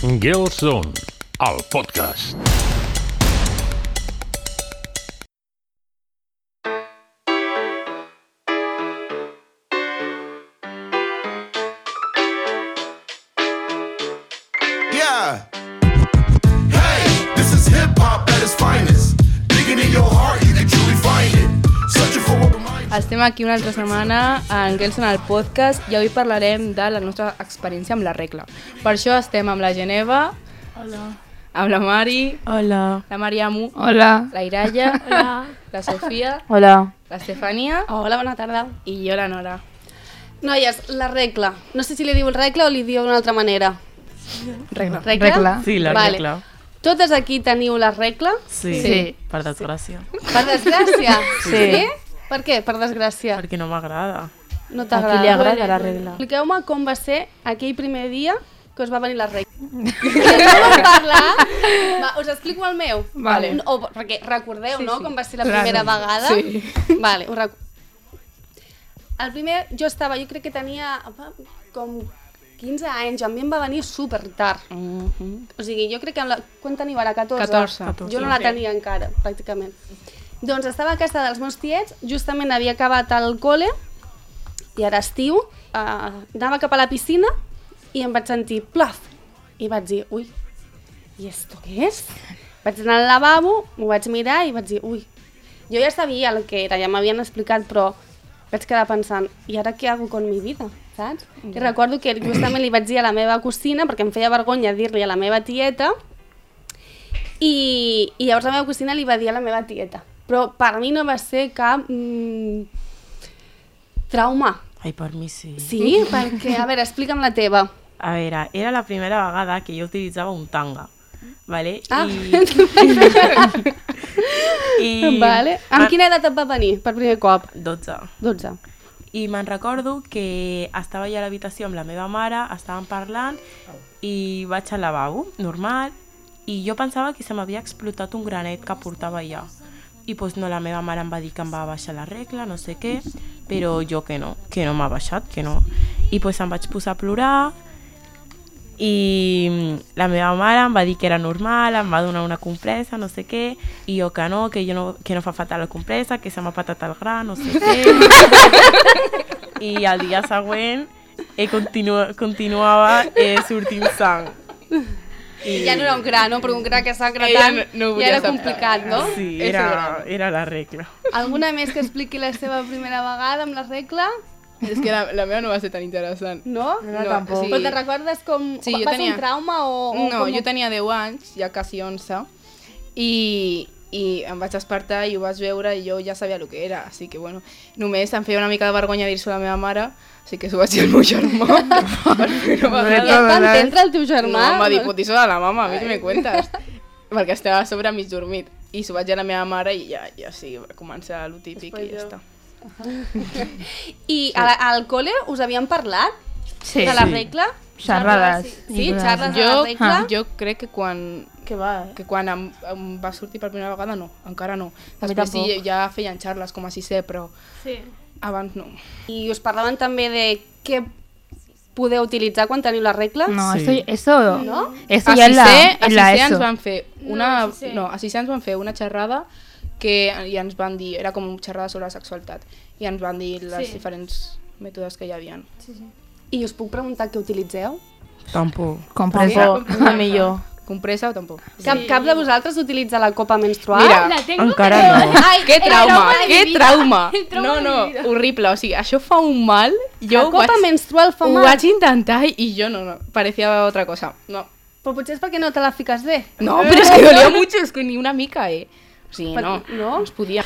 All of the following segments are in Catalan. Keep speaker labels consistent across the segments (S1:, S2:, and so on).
S1: Girls Zone, el podcast.
S2: Yeah. Hey, this is hip hop at its finest. Digging in your heart, you can truly find it. Searching for what reminds you.
S3: Estem aquí una altra setmana en Girls Zone, el podcast, i avui parlarem de la nostra experiència amb la regla. Per això estem amb la Geneva,
S4: Hola.
S3: amb la Mari,
S4: Hola.
S3: la Mariamu,
S4: Hola.
S3: la Iraya,
S4: Hola.
S3: la Sofia,
S4: Hola.
S3: l'Estefania
S5: Hola, bona tarda.
S3: i jo, la Nora.
S5: Noies, la regla. No sé si li diu regla o li diu d'una altra manera.
S3: Regla.
S5: Regla?
S6: Sí, la
S5: Vale.
S6: regla.
S5: Totes aquí teniu la regla?
S6: Sí,
S3: Sí.
S6: per desgràcia.
S5: Per desgràcia?
S4: Sí.
S5: Per què? Per desgràcia.
S6: Perquè no m'agrada.
S5: No
S4: A
S5: t'agrada.
S4: qui li agrada la regla?
S5: Expliqueu-me com va ser aquell primer dia que us va venir la regla. No vam parlar. Va, us explico el meu.
S3: Vale.
S5: O, perquè recordeu,
S3: Sí,
S5: no?,
S3: sí.
S5: com va ser la
S3: Clar.
S5: primera vegada.
S3: Sí.
S5: Vale, ho el primer, jo crec que tenia com 15 anys, a mi em va venir super tard. O sigui, jo crec que quan teniu ara? 14?
S3: 14.
S5: Jo no la tenia encara, pràcticament. Doncs estava a casa dels meus tiets, justament havia acabat el col·le, i era estiu, anava cap a la piscina i em vaig sentir plof. I vaig dir, ui, i esto què és? Vaig anar al lavabo, m'ho vaig mirar i vaig dir, ui. Jo ja sabia el que era, ja m'havien explicat, però vaig quedar pensant, i ara què hago con mi vida? Saps? I recordo que justament li vaig dir a la meva cosina, perquè em feia vergonya dir-li a la meva tieta, i llavors la meva cosina li va dir a la meva tieta. Però per mi no va ser cap trauma.
S6: Ai, per mi sí.
S5: Sí? Perquè, a veure, explica'm la teva.
S6: A veure, era la primera vegada que jo utilitzava un tanga. Vale?
S5: Ah.
S6: I
S5: Vale. Amb quina edat et va venir per primer cop?
S6: 12.
S5: 12.
S6: I me'n recordo que estava allà a l'habitació amb la meva mare, estàvem parlant i vaig al lavabo, normal, i jo pensava que se m'havia explotat un granet que portava allà. I doncs no, la meva mare em va dir que em va baixar la regla, no sé què, però jo que no m'ha baixat, que no. I doncs em vaig posar a plorar i la meva mare em va dir que era normal, em va donar una compressa, no sé què, i jo que no fa falta la compressa, que se m'ha patat el gra, no sé què. I el dia següent continuava sortint sang.
S5: I ja no era un gra, no? Però un gra que s'ha gratat
S3: no ho
S5: ja era
S3: volia
S5: complicat, no?
S6: Sí, era la regla.
S5: Alguna més que expliqui la seva primera vegada amb la regla?
S3: És que la meva no va ser tan interessant.
S5: No?
S3: No, tampoc.
S5: Però te recordes com...
S3: Sí, jo
S5: va ser
S3: tenia-
S5: un trauma o
S3: No,
S5: com...
S3: jo tenia 10 anys, ja quasi 11, i em vaig despertar i ho vaig veure i jo ja sabia el que era, així que bueno, només em feia una mica de vergonya dir-s'ho a la meva mare, així que s'ho vaig dir al meu germà.
S5: I et va entendre el teu germà?
S3: No, em va dir, pot dir-s'ho a la mama, a mi què me cuentes? Perquè estava a sobre mig dormit. I s'ho vaig dir a la meva mare i ja sí, va començar el típic i ja està.
S5: I al col·le us havien parlat
S4: Sí.
S5: de la regla?
S4: Xerrades.
S5: Sí, xerrades de la regla?
S3: Jo crec que quan em va sortir per primera vegada no, encara no.
S4: A mi
S3: Després sí,
S4: tampoc.
S3: ja feien xarles com a sisè, però abans no.
S5: I us parlaven també de què podeu utilitzar quan teniu la regla?
S4: No,
S6: Sí.
S4: eso
S5: ¿No?
S4: Eso
S3: A
S4: ya en la
S3: sisè ens
S4: ESO.
S3: van fer a sisè ens van fer una xerrada que ja ens van dir, era com xerrada sobre la sexualitat, i ens van dir les diferents mètodes que hi havia.
S5: I us puc preguntar què utilitzeu?
S6: Tampoc.
S4: Compresa, la millor.
S3: Compressa o tampoc?
S5: Cap de vosaltres utilitza la copa menstrual?
S3: Mira,
S6: Encara no.
S5: Ai,
S3: que trauma,
S5: de
S3: que
S5: mi vida.
S3: trauma!
S5: El trauma
S3: No,
S5: de mi vida.
S3: horrible, o sigui, això fa un mal.
S5: La
S3: Jo
S5: copa menstrual fa
S3: ho
S5: mal?
S3: vaig intentar i jo no, parecía otra cosa. No,
S5: Però potser és perquè no te la fiques bé.
S3: no, però és que dolía mucho, és que ni una mica, O sigui, no,
S5: No?
S3: no es podia.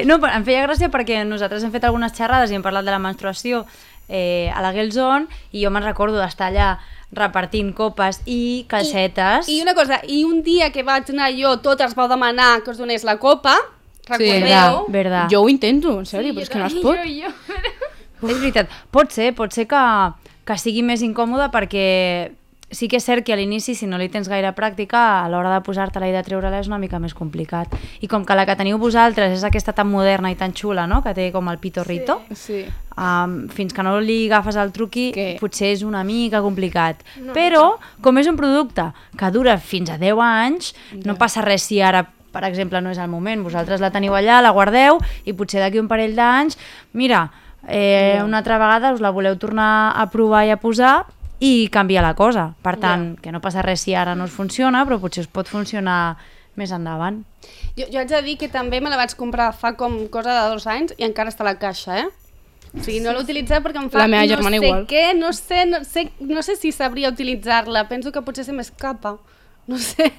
S7: No, però em feia gràcia perquè nosaltres hem fet algunes xerrades i hem parlat de la menstruació a la Girls Zone i jo me'n recordo d'estar allà repartint copes i calcetes.
S5: I una cosa, i un dia que vaig anar jo, totes vau demanar que us donés la copa, recordeu?
S7: Verdad, verdad.
S3: Jo ho intento, en sèrio, però és que no es pot.
S7: És veritat. Pot ser que sigui més incòmode perquè sí que és cert que a l'inici, si no li tens gaire pràctica, a l'hora de posar-te-la i de treure-la és una mica més complicat. I com que la que teniu vosaltres és aquesta tan moderna i tan xula, no?, que té com el pitorrito,
S3: Sí.
S7: Fins que no li agafes el truqui,
S3: Que-
S7: potser és una mica complicat. Però, com és un producte que dura fins a 10 anys, no passa res si ara, per exemple, no és el moment. Vosaltres la teniu allà, la guardeu, i potser d'aquí un parell d'anys, mira, una altra vegada us la voleu tornar a provar i a posar i canvia la cosa. Per tant, que no passa res si ara no us funciona, però potser us pot funcionar més endavant.
S5: Jo haig de dir que també me la vaig comprar fa com cosa de 2 anys i encara està a la caixa, O sigui, no l'he utilitzat perquè em fa
S3: La meva
S5: no
S3: germana
S5: sé
S3: igual.
S5: què, no sé si sabria utilitzar-la. Penso que potser se m'escapa. No sé.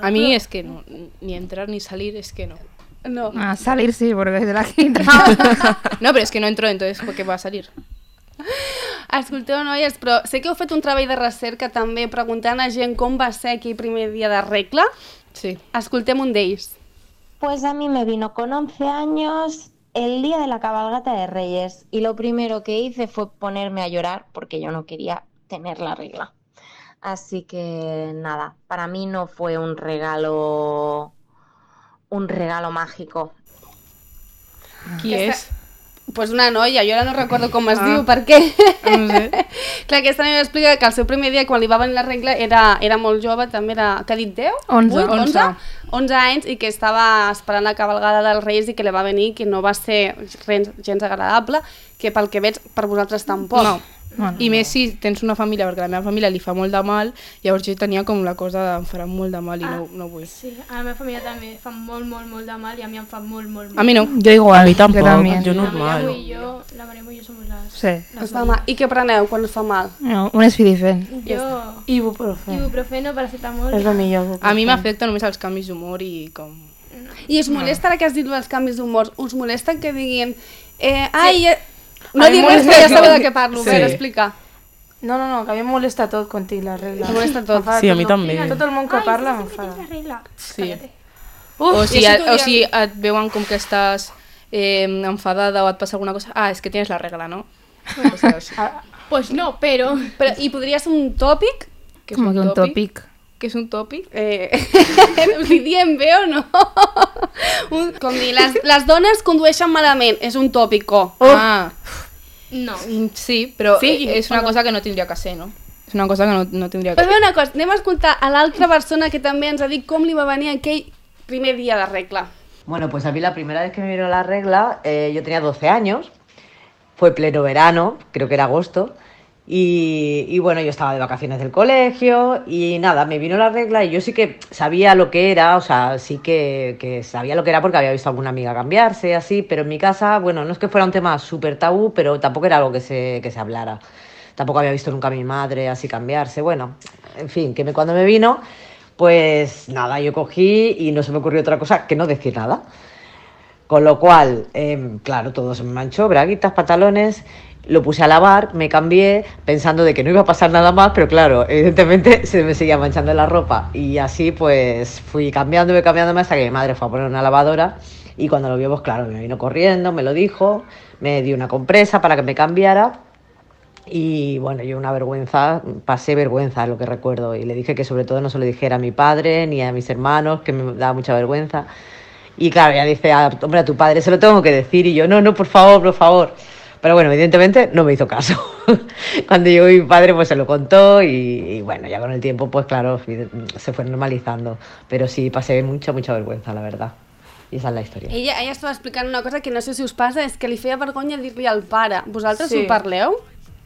S3: A mí es que no, ni entrar ni salir, es que no.
S5: No.
S4: A salir sí, porque se la quita.
S3: No, pero es que no entro, entonces ¿por qué va a salir?
S5: Escolteu, noies, però sé que heu fet un treball de recerca també preguntant a gent com va ser aquell primer dia de regla.
S3: Sí.
S5: Escoltem un d'ells.
S8: Pues a mí me vino con 11 años el día de la cabalgata de Reyes y lo primero que hice fue ponerme a llorar porque yo no quería tener la regla. Así que nada, para mí no fue un regalo mágico.
S3: Qui és?
S5: Pues una noia, jo ara no recordo com es diu, per què?
S3: No sé.
S5: Clar, aquesta noia explica que el seu primer dia, quan li va venir la regla, era molt jove, també era, què ha dit, 10?
S4: 11.
S5: 11 anys, i que estava esperant la cabalgada dels Reis i que li va venir, que no va ser gens agradable, que pel que veig per vosaltres tampoc.
S3: No. I més si tens una família, perquè a la meva família li fa molt de mal, llavors jo tenia com la cosa de em farà molt de mal i no vull.
S9: Sí, a la meva família també fa molt de mal i a mi em fa molt.
S3: A mi no.
S4: Yo igual.
S6: A mi tampoc,
S4: también.
S6: jo
S9: La
S6: normal.
S9: Mariamo i jo som les...
S4: Sí.
S5: Us fa mal. I què preneu quan us fa mal?
S4: No, un esfidifen.
S9: Jo... Ibuprofeno, paracetamol...
S4: És el millor.
S3: A mi m'afecta només els canvis d'humor i com...
S5: I us molesta, ara que has dit els canvis d'humor, us molesta que diguin... No
S10: A mi
S5: dic res,
S10: molesta
S5: que ja
S10: que-
S5: sabeu de què parlo,
S3: Sí.
S5: bé, explica.
S10: No, que a mi em molesta tot quan tinc la regla.
S5: Em molesta tot.
S6: Sí, a mi també.
S10: Tot el món que parla
S9: Ai,
S10: m'enfada.
S9: la regla.
S3: Sí.
S5: i
S3: O si
S5: això
S3: et veuen com que estàs enfadada o et passa alguna cosa, és que tienes la regla, ¿no? O sea, sí.
S9: Pues no, però...
S5: Però, i podria ser un tòpic?
S3: ¿Qué es
S4: Como que un topic.
S3: ¿Qué es un topic?
S5: Us hi diem bé o no? Com dir, les dones condueixen malament, és un tòpico.
S3: Ah,
S9: No.
S3: sí, però
S5: Sí,
S3: és una cosa que no tindria que ser, no? És una cosa que no tindria que
S5: Pues
S3: ser.
S5: bé, una cosa, anem a escoltar a l'altra persona que també ens ha dit com li va venir aquell primer dia de regla.
S11: Bueno, pues a mí la primera vez que me vino la regla, yo tenía 12 años, fue pleno verano, creo que era agosto, y bueno, yo estaba de vacaciones del colegio y nada, me vino la regla y yo sí que sabía lo que era, o sea, sí que sabía lo que era porque había visto a alguna amiga cambiarse, así, pero en mi casa, bueno, no es que fuera un tema súper tabú, pero tampoco era algo que se hablara. Tampoco había visto nunca a mi madre así cambiarse, bueno, en fin, cuando me vino, pues nada, yo cogí y no se me ocurrió otra cosa que no decir nada. Con lo cual, claro, todo se me manchó, braguitas, pantalones, lo puse a lavar, me cambié pensando de que no iba a pasar nada más, pero claro, evidentemente se me seguía manchando la ropa y así pues fui cambiándome hasta que mi madre fue a poner una lavadora y cuando lo vio, pues claro, me vino corriendo, me lo dijo, me dio una compresa para que me cambiara. Y bueno, yo una vergüenza, pasé vergüenza, es lo que recuerdo, y le dije que sobre todo no se lo dijera a mi padre ni a mis hermanos, que me daba mucha vergüenza. Y claro, ella dice, hombre, a tu padre se lo tengo que decir, y yo, no, por favor. Pero bueno, evidentemente no me hizo caso. Cuando llegó mi padre, pues se lo contó y bueno, ya con el tiempo, pues claro, se fue normalizando. Pero sí, pasé mucha vergüenza, la verdad. I esa és la història.
S5: Ella estava explicant una cosa que no sé si us passa, és que li feia vergonya dir-li al pare. Vosaltres
S10: Sí.
S5: ho parleu?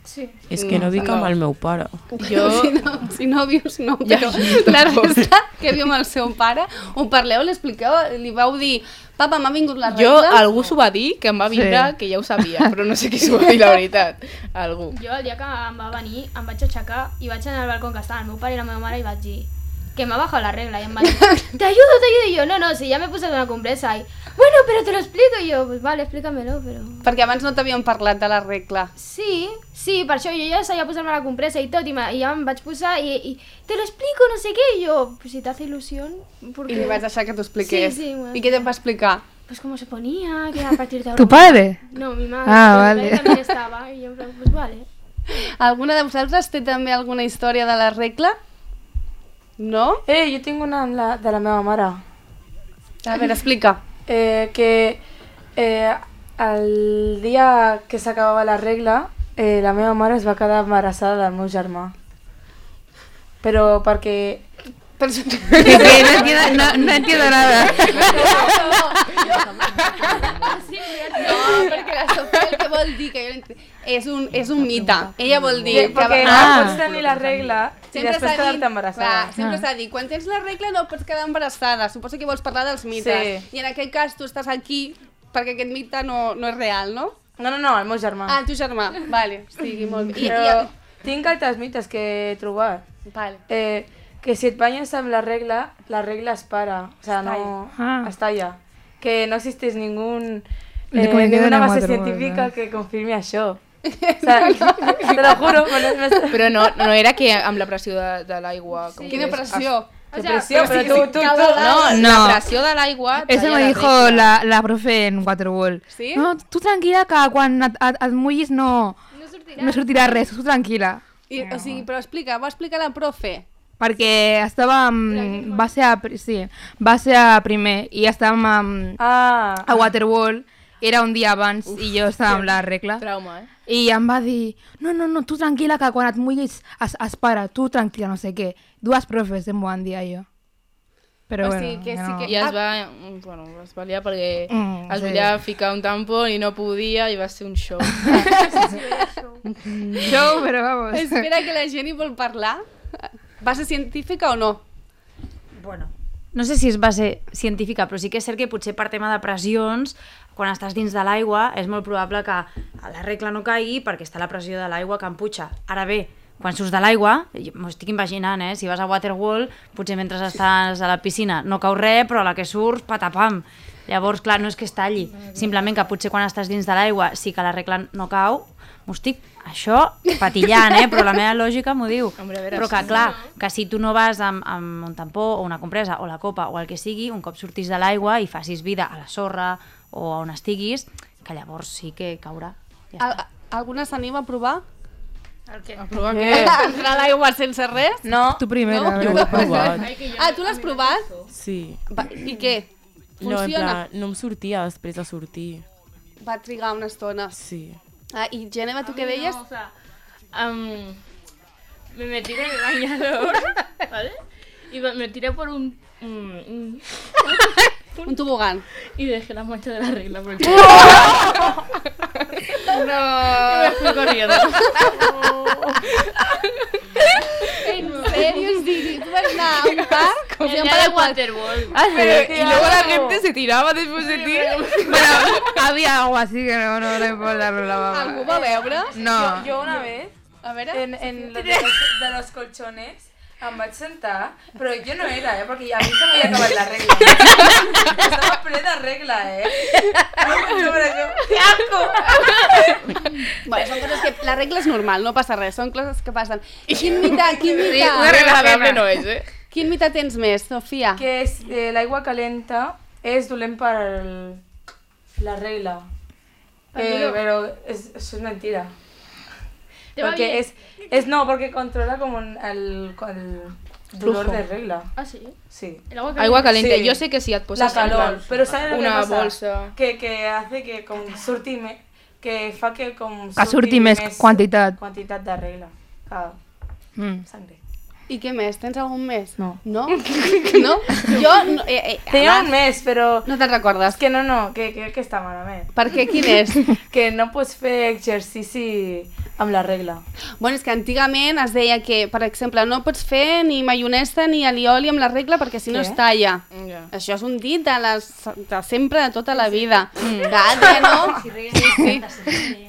S9: Sí.
S6: És que no dic amb el meu pare.
S3: Jo...
S5: Si no vius, no, però la resta que viu amb el seu pare, ho parleu, li expliqueu, li vau dir, papa, m'ha vingut la regla?
S3: Jo, algú s'ho va dir, que em va vindre, que ja ho sabia, però no sé qui s'ho va dir, la veritat. Algú.
S9: Jo el dia que em va venir em vaig aixecar i vaig anar al balcó que estava el meu pare i la meva mare i vaig dir que m'ha bajado la regla y em va dir te ayudo y yo, no, si ya me puse una compresa y bueno, pero te lo explico y yo, pues vale, explícamelo, però...
S5: Perquè abans no t'havíem parlat de la regla.
S9: Sí, per això jo ja sabia posar-me la compresa i tot, i ja em vaig posar i te lo explico, no sé què, i jo, pues si t'hace ilusión...
S5: I li vaig deixar que t'ho expliqués.
S9: Sí, bueno.
S5: I què te va explicar?
S9: Pues cómo se ponía, que a partir de ahora...
S4: ¿Tu padre?
S9: No, mi madre.
S4: Ah,
S9: mi
S4: vale.
S9: madre también estaba, y yo, pues vale.
S5: Alguna de vosaltres té també alguna història de la regla? No?
S10: Jo tinc una de la meva mare.
S5: A veure, explica.
S10: Que el dia que s'acabava la regla, la meva mare es va quedar embarassada del meu germà. Però perquè...
S4: No entiendo nada.
S5: No, perquè la Sofia el que vol dir, que és un mite. Ella vol dir...
S10: Perquè no pots tenir la regla i després quedar-te embarassada.
S5: Sempre s'ha dit, quan tens la regla no pots quedar embarassada. Suposo que vols parlar dels mites. I en aquest cas tu estàs aquí perquè aquest mite no és real, no?
S10: No, el meu germà.
S5: Ah, el teu germà. Vale, estigui molt bé.
S10: Però tinc altres mites que he trobat.
S5: Vale.
S10: Que si et banyes amb la regla es para. O sea, no... Està allà. Que no existeix ninguna base científica que confirmi això. O sea, te lo juro.
S3: Però no era que amb la pressió de l'aigua...
S5: Quina pressió?
S10: Pero tú.
S3: No, la presión del agua.
S4: Eso me dijo la profe en Waterwall.
S5: ¿Sí?
S4: No, tú tranquila que quan et mullis no sortirà res, tu tranquil·la.
S5: O sigui, però va explicar la profe.
S4: Perquè estàvem... Va ser a primer i estàvem a Waterwall. Era un dia abans i jo estava amb la regla.
S3: Trauma,
S4: I em va dir, no, tu tranquil·la que quan et mullis es para, tu tranquil·la, no sé què. Dues profes em van dir allò. Però bueno,
S3: I es va liar perquè es volia ficar un tampó i no podia i va ser un show.
S4: Show, però vamos.
S5: Espera que la gent hi vol parlar. Base científica o no?
S7: Bueno, no sé si és base científica, però sí que és cert que potser per tema de pressions, quan estàs dins de l'aigua, és molt probable que la regla no caigui perquè està la pressió de l'aigua que empuja. Ara bé, quan surts de l'aigua, m'ho estic imaginant, si vas a Waterwall, potser mentre estàs a la piscina no cau res, però a la que surts, patapam. Llavors, clar, no és que es talli, simplement que potser quan estàs dins de l'aigua sí que la regla no cau, m'ho estic, això, patillant, però la meva lògica m'ho diu. Però que, clar, que si tu no vas amb un tampó o una compresa o la copa o el que sigui, un cop sortis de l'aigua i facis vida a la sorra o on estiguis, que llavors sí que caurà.
S5: Alguna s'anima a provar?
S3: A provar què?
S5: Entrar a l'aigua sense res?
S10: No.
S4: Tu primera.
S6: Jo ho he provat.
S5: Ah, tu l'has provat?
S6: Sí.
S5: I què? Funciona?
S6: No em sortia després de sortir.
S5: Va trigar una estona.
S6: Sí.
S5: ¿Y Geneva, tú qué deies?
S9: O sea, me tiré en el bañador, ¿vale? Y me tiré por un
S5: tobogán.
S9: Y dejé la mancha de la regla por el
S3: No.
S9: Y me fui corriendo.
S5: ¿En serio? ¿Tú vas a un parque?
S9: El día de Waterwall.
S3: Y luego la gente se tiraba después de ti.
S4: Bueno, había agua, así que no importa la baba.
S5: ¿Algú va veure?
S4: No.
S10: Yo una vez,
S5: A veure.
S10: en de los colchones, em vaig sentar, però jo no era, perquè a mi se m'havia acabat la regla. Estava ple de regla, ¡Qué asco!
S5: Bueno, són coses que... La regla és normal, no passa res, són coses que passen. Quin mite?
S3: Agradable no és,
S5: Quin mite tens més, Sofia?
S10: Que és l'aigua calenta és dolent per la regla. Però això és mentira. Porque porque controla como el dolor de regla.
S9: ¿Ah, sí?
S10: Sí.
S9: El agua
S3: Agua caliente.
S10: Sí.
S3: Yo sé que si et poses
S10: La calor, pero ¿sabes lo que
S3: una
S10: pasa?
S3: bolsa...
S10: Que hace que com surti que fa que com
S4: Que surti més quantitat.
S10: Quantitat de regla. Sangre.
S5: I què més? Tens algun més?
S10: No.
S5: No? No? Jo...
S10: Tenia un mes, però...
S5: No te'n recordes?
S10: Que que està malament.
S5: Per què? Quin és?
S10: Que no pots fer exercici amb la regla.
S5: Bueno, és que antigament es deia que, per exemple, no pots fer ni maionesa ni alioli amb la regla perquè si no es talla. Això és un dit de sempre, de tota la vida. Gata, no? Sí.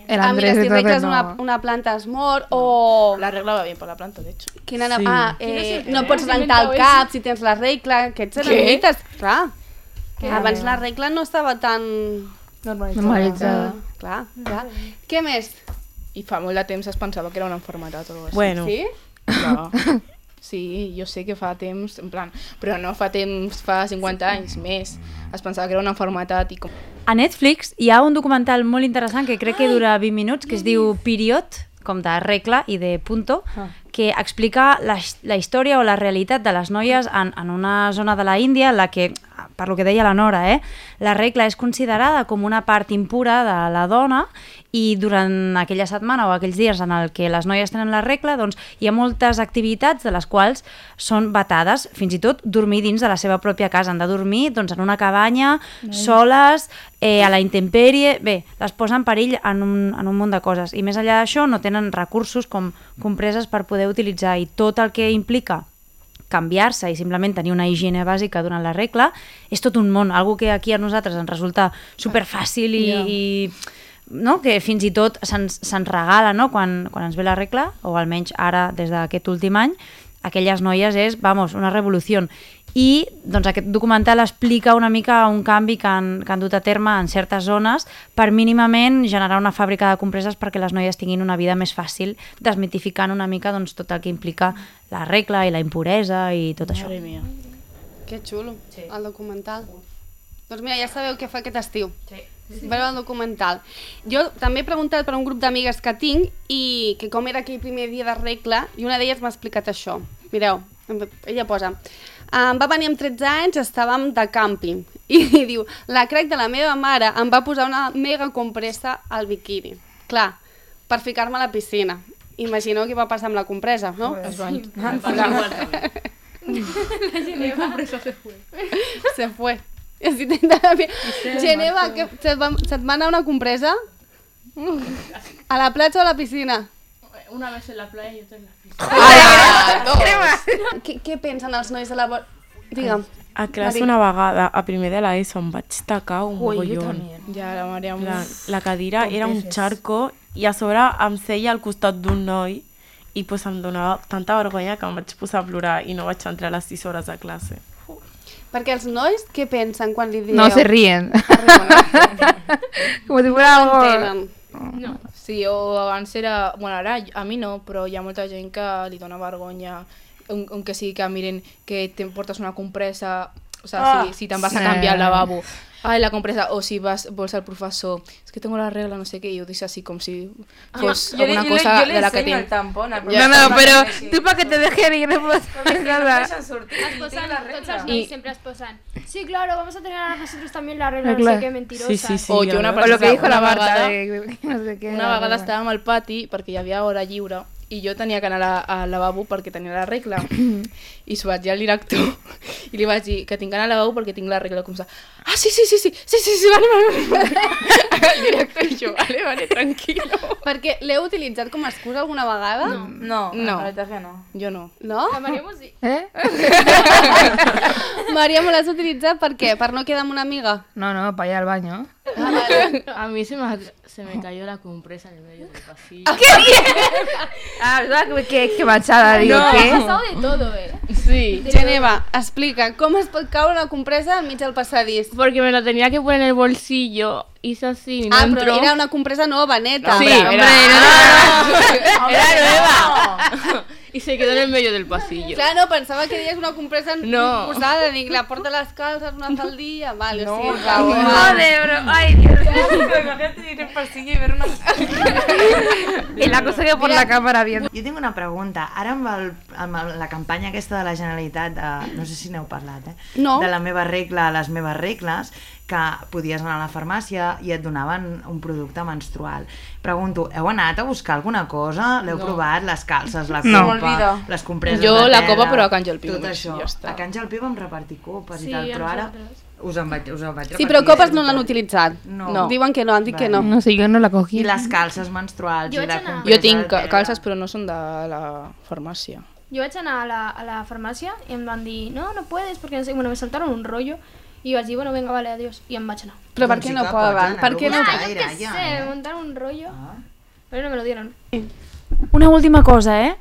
S4: El
S5: Mira,
S4: Andrés
S5: si
S4: de
S5: regles
S4: no.
S5: una planta es mor o...
S3: La regla va bien por la planta, de hecho.
S5: No pots rentar el cap si tens la regla. Aquests eren mites, clar. Abans la regla no estava tan...
S4: Normalitzada.
S5: Clar. Què més?
S3: I fa molt de temps es pensava que era una enfermedad o algo así.
S6: Bueno.
S5: Sí?
S3: Clar. Sí, jo sé que fa temps, en plan, però no fa temps, fa 50 anys més. Es pensava que era una enfermedad i com...
S7: A Netflix hi ha un documental molt interessant que crec que dura 20 minuts, que es diu Period, com de regla i de punto, que explica la història o la realitat de les noies en una zona de la Índia en la que, per lo que deia la Nora, la regla és considerada com una part impura de la dona i durant aquella setmana o aquells dies en el que les noies tenen la regla, doncs hi ha moltes activitats de les quals són vetades, fins i tot dormir dins de la seva pròpia casa. Han de dormir doncs, en una cabanya, soles, a la intempèrie. Bé, les posa en perill en un munt de coses. I més enllà d'això no tenen recursos com compreses per poder utilitzar, i tot el que implica canviar-se i simplement tenir una higiene bàsica durant la regla és tot un món, algo que aquí a nosaltres ens resulta superfàcil i no? Que fins i tot se'ns regala, no? Quan ens ve la regla, o almenys ara des d'aquest últim any, aquelles noies és, una revolució. I doncs, aquest documental explica una mica un canvi que han dut a terme en certes zones per mínimament generar una fàbrica de compreses perquè les noies tinguin una vida més fàcil, desmitificant una mica doncs, tot el que implica la regla i la impuresa i tot això.
S5: Que xulo, el documental. Doncs mira, ja sabeu què fa aquest estiu. Veure el documental. Jo també he preguntat per un grup d'amigues que tinc i que com era aquell primer dia de regla, i una d'elles m'ha explicat això. Mireu, ella posa: em va venir amb 13 anys, estàvem de càmping, i diu, la crec de la meva mare em va posar una mega compressa al biquini. Clar, per ficar-me a la piscina. Imagineu què va passar amb la compressa, no?
S3: La compressa se fue.
S5: Se fue. Geneva, se't va anar una compressa? A la platja o a la piscina?
S9: Una vez en la playa y otra en la piscina.
S5: Què pensen els nois de la... Digue'm.
S6: A classe una vegada, a primer de l'ESO, em vaig tacar un mogollon.
S3: Ja, la Maria...
S6: La cadira era un charco i a sobre em seia al costat d'un noi i pues, em donava tanta vergonya que em vaig posar a plorar i no vaig entrar a les 6 hores de classe.
S5: Perquè els nois, què pensen quan li dieu?
S4: No, se ríen. Com si fuera algo...
S3: No. Sí, o abans era... Bueno, ara a mi no, però hi ha molta gent que li dona vergonya, que sigui que miren que te portes una compressa, o sea, si te'n vas a canviar al lavabo, ai, la compressa, o si vols al professor, és que tengo la regla, no sé què, i ho dius así com si fos alguna cosa de la que tinc.
S10: Yo le enseño el tampón al
S4: No, no, pero tú para que te dejen ir, no puedes hacer nada.
S9: Tots els siempre es posan. Sí, claro, vamos a tener a nosotros también la regla, no sé qué, mentirosa.
S3: O jo una
S4: O lo que dijo la Marta,
S3: no sé què. Una vegada estàvem al pati perquè hi havia hora lliure i jo tenia que anar al lavabo perquè tenia la regla i s'ho vaig dir al director i li vaig dir que tinc que anar al lavabo perquè tinc la regla, com sa, sí, vale. El director i jo, vale, tranquilo.
S5: Perquè l'heu utilitzat com a excusa alguna vegada?
S10: No, la veritat que no.
S3: Jo no.
S5: No?
S9: La María sí.
S5: María, ¿me l'has utilitzat per què? Per no quedar amb una amiga?
S4: No, para ir al baño.
S12: A mí se me cayó la compresa en el medio del pasillo.
S4: ¡Qué bien! ¿Verdad? Qué machada, digo, ¿qué?
S9: Ha pasado de todo,
S3: Sí.
S5: Geneva, explica, com es pot caure una compresa al mig del passadís?
S12: Porque me la tenía que poner en el bolsillo, hice así y no entró.
S5: Però era una compresa nova, neta.
S12: Sí,
S3: Hombre,
S12: era nueva. Y se quedó en el medio del pasillo.
S5: Clar, no, pensava que deies una compresa
S12: No.
S5: posada, dic, la porta a les calces una vegada al dia, vale,
S12: No,
S5: sí,
S4: Joder, bro, ay, Dios.
S10: Imagínate ir al pasillo y ver una...
S4: Y la cosa que por la cámara viendo.
S13: Jo tinc una pregunta. Ara amb la campanya aquesta de la Generalitat, no sé si n'heu parlat,
S5: No.
S13: de la meva regla a les meves regles, que podies anar a la farmàcia i et donaven un producte menstrual. Pregunto, heu anat a buscar alguna cosa? L'heu provat? Les calces, la copa, les compreses de tela...
S3: Jo la copa, però a Can Jalpí.
S13: Tot això.
S3: Ja està.
S13: A Can Jalpí vam repartir copes i tal, però ara us en vaig repartir.
S5: Sí, però copes no l'han utilitzat.
S13: No.
S5: Diuen que no, han dit que no.
S4: No sé, yo no la cogí.
S13: I les calces menstruals i la compresa
S3: Jo tinc
S13: de tela.
S3: calces, però no són de la farmàcia.
S9: Yo vaig anar a la farmacia y em van dir, no puedes, porque no sé, bueno, me saltaron un rollo. Y vaig dir, bueno, venga, vale, adiós. Y em vaig anar.
S5: Però per què no poden? Per què no?
S9: Yo qué sé, me montaron un rollo. Pero no me lo dieron.
S7: Una última cosa,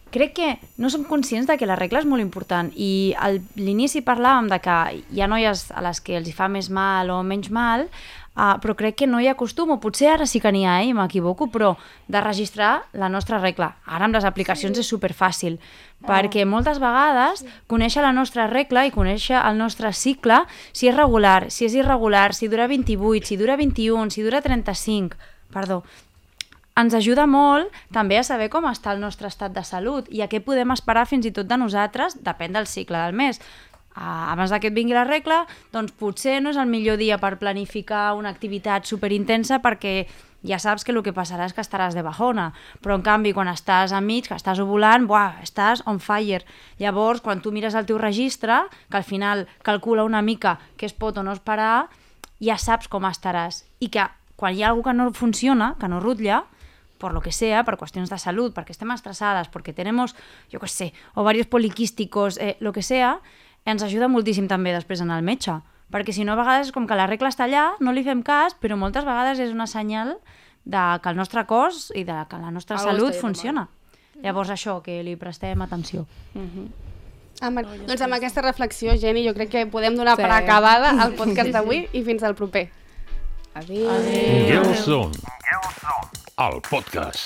S7: crec que no som conscients de que la regla és molt important i a l'inici parlàvem de que hi ha noies a les que els hi fa més mal o menys mal, però crec que no hi ha costum, o potser ara sí que n'hi ha, m'equivoco, però de registrar la nostra regla. Ara amb les aplicacions és superfàcil, perquè moltes vegades conèixer la nostra regla i conèixer el nostre cicle, si és regular, si és irregular, si dura 28, si dura 21, si dura 35, perdó, ens ajuda molt també a saber com està el nostre estat de salut i a què podem esperar fins i tot de nosaltres, depèn del cicle del mes. Abans que et vingui la regla, doncs potser no és el millor dia per planificar una activitat superintensa perquè ja saps que el que passarà és que estaràs de bajona, però en canvi quan estàs enmig, que estàs ovulant, estàs on fire. Llavors, quan tu mires el teu registre, que al final calcula una mica què es pot o no esperar, ja saps com estaràs. I que quan hi ha algú que no funciona, que no rutlla, por lo que sea, per qüestions de salut, perquè estem estressades, perquè tenemos, jo què sé, ovarios poliquísticos, lo que sea, ens ajuda moltíssim també després anar al metge, perquè si no a vegades com que la regla està allà, no li fem cas, però moltes vegades és una senyal de que el nostre cos i de que la nostra salut funciona. Llavors això, que li prestem atenció.
S5: Doncs amb aquesta reflexió, Jenny, jo crec que podem donar per acabada el podcast d'avui i fins al proper.
S3: Adéu.
S1: Girls Zone, el podcast.